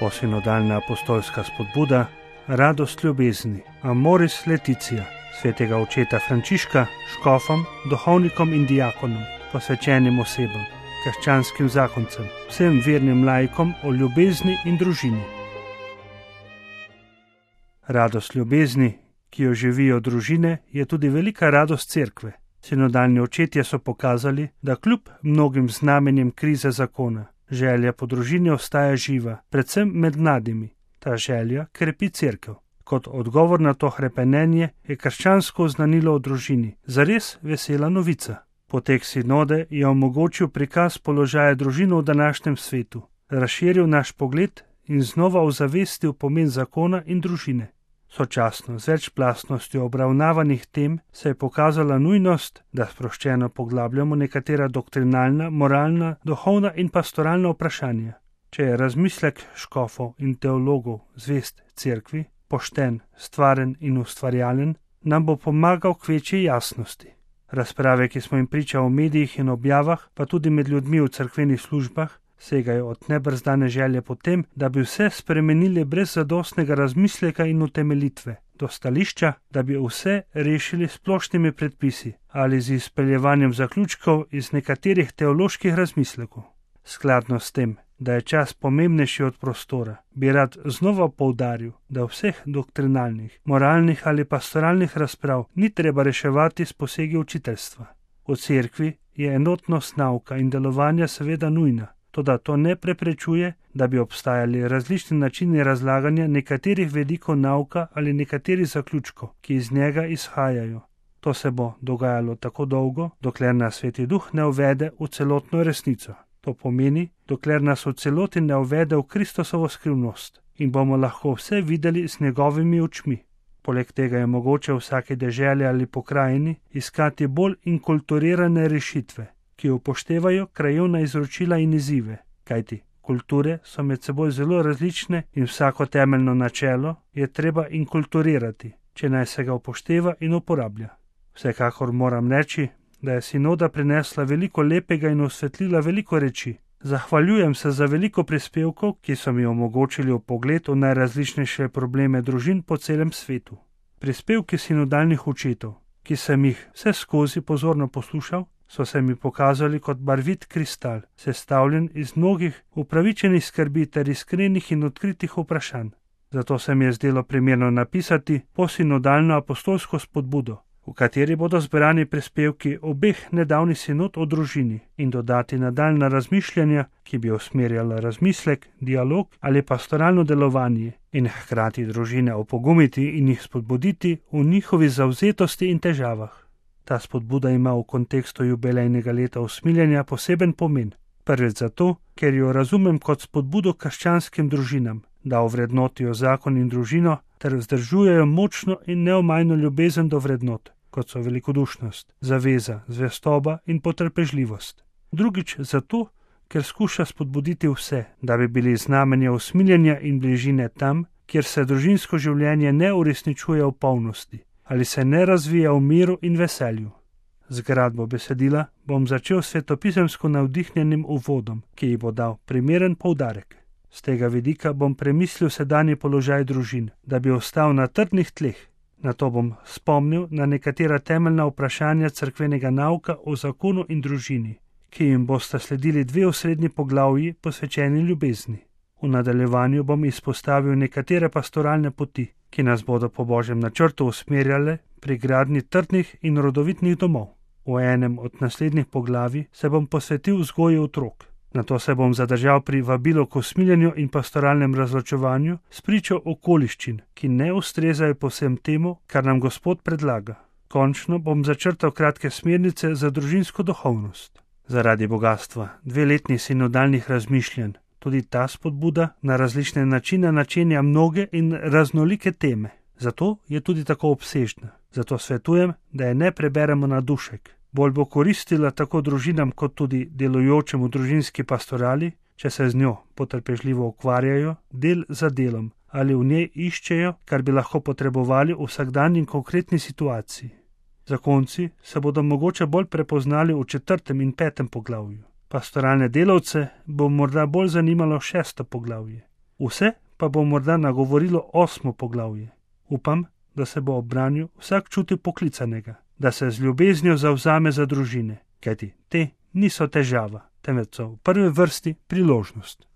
Posinodalna apostolska spodbuda, radost ljubezni, Amoris Laetitia, svetega očeta Frančiška, škofom, duhovnikom in diakonom, posvečenim osebam, krščanskim zakoncem, vsem vernim laikom o ljubezni in družini. Radost ljubezni, ki jo živijo družine, je tudi velika radost cerkve. Sinodalni očetje so pokazali, da kljub mnogim znamenjem krize zakona, želja po družini ostaja živa, predvsem med mladimi. Ta želja krepi cerkev. Kot odgovor na to hrepenenje je krščansko oznanilo o družini zares vesela novica. Potek sinode je omogočil prikaz položaja družine v današnjem svetu, razširil naš pogled in znova ozavestil pomen zakona in družine. Sočasno z večplastnostjo obravnavanih tem se je pokazala nujnost, da sproščeno poglabljamo nekatera doktrinalna, moralna, duhovna in pastoralna vprašanja. Če je razmislek škofov in teologov zvest cerkvi, pošten, stvaren in ustvarjalen, nam bo pomagal k večji jasnosti. Razprave, ki smo jim priča v medijih in objavah, pa tudi med ljudmi v cerkvenih službah, segajo od nebrzdane želje po tem, da bi vse spremenili brez zadostnega razmisleka in utemeljitve, do stališča, da bi vse rešili splošnimi predpisi ali z izpeljevanjem zaključkov iz nekaterih teoloških razmislekov. Skladno s tem, da je čas pomembnejši od prostora, bi rad znova poudaril, da vseh doktrinalnih, moralnih ali pastoralnih razprav ni treba reševati s posegi učiteljstva. V cerkvi je enotnost nauka in delovanja seveda nujna, toda to ne preprečuje, da bi obstajali različni načini razlaganja nekaterih vidikov nauka ali nekaterih zaključkov, ki iz njega izhajajo. To se bo dogajalo tako dolgo, dokler nas Sveti Duh ne uvede v celotno resnico. To pomeni, dokler nas v celoti ne uvede v Kristusovo skrivnost in bomo lahko vse videli s njegovimi očmi. Poleg tega je mogoče v vsaki deželi ali pokrajini iskati bolj inkulturirane rešitve, ki upoštevajo krajevna izročila in izzive, kajti kulture so med seboj zelo različne in vsako temeljno načelo je treba inkulturirati, če naj se ga upošteva in uporablja. Vsekakor moram reči, da je sinoda prinesla veliko lepega in osvetlila veliko reči. Zahvaljujem se za veliko prispevkov, ki so mi omogočili vpogled v najrazličnejše probleme družin po celem svetu. Prispevki sinodalnih očetov, ki sem jih vse skozi pozorno poslušal, so se mi pokazali kot barvit kristal, sestavljen iz mnogih upravičenih skrbi ter iskrenih in odkritih vprašanj. Zato se mi je zdelo primerno napisati posinodalno apostolsko spodbudo, v kateri bodo zbrani prispevki obeh nedavnih sinod o družini in dodati nadaljnja razmišljanja, ki bi usmerjala razmislek, dialog ali pastoralno delovanje in hkrati družine opogumiti in jih spodbuditi v njihovi zavzetosti in težavah. Ta spodbuda ima v kontekstu jubilejnega leta usmiljenja poseben pomen. Prvič zato, ker jo razumem kot spodbudo krščanskim družinam, da ovrednotijo zakon in družino ter vzdržujejo močno in neomajno ljubezen do vrednot, kot so velikodušnost, zaveza, zvestoba in potrpežljivost. Drugič zato, ker skuša spodbuditi vse, da bi bili znamenja usmiljenja in bližine tam, kjer se družinsko življenje ne uresničuje v polnosti ali se ne razvija v miru in veselju. Z gradbo besedila bom začel svetopisemsko navdihnjenim uvodom, ki ji bo dal primeren poudarek. Z tega vidika bom premislil sedanji položaj družin, da bi ostal na trdnih tleh. Nato bom spomnil na nekatera temeljna vprašanja cerkvenega nauka o zakonu in družini, ki jim bosta sledili dve osrednji poglavji posvečeni ljubezni. V nadaljevanju bom izpostavil nekatere pastoralne poti, ki nas bodo po Božjem načrtu usmerjale pri gradnji trdnih in rodovitnih domov. V enem od naslednjih poglavij se bom posvetil vzgoji otrok. Nato se bom zadržal pri vabilu k usmiljenju in pastoralnem razločevanju s pričo okoliščin, ki ne ustrezajo povsem temu, kar nam Gospod predlaga. Končno bom začrtal kratke smernice za družinsko duhovnost. Zaradi bogatstva dveletnih sinodalnih razmišljanj tudi ta spodbuda na različne načine načenja mnoge in raznolike teme. Zato je tudi tako obsežna. Zato svetujem, da je ne preberemo na dušek. Bolj bo koristila tako družinam kot tudi delujočemu v družinski pastorali, če se z njo potrpežljivo ukvarjajo del za delom ali v njej iščejo, kar bi lahko potrebovali v vsakdanji in konkretni situaciji. Zakonci se bodo mogoče bolj prepoznali v 4. in 5. poglavju. Pastoralne delavce bo morda bolj zanimalo 6. poglavje. Vse pa bo morda nagovorilo 8. poglavje. Upam, da se bo ob branju vsak čutil poklicanega, da se z ljubeznijo zavzame za družine, kajti te niso težava, temveč so v prvi vrsti priložnost.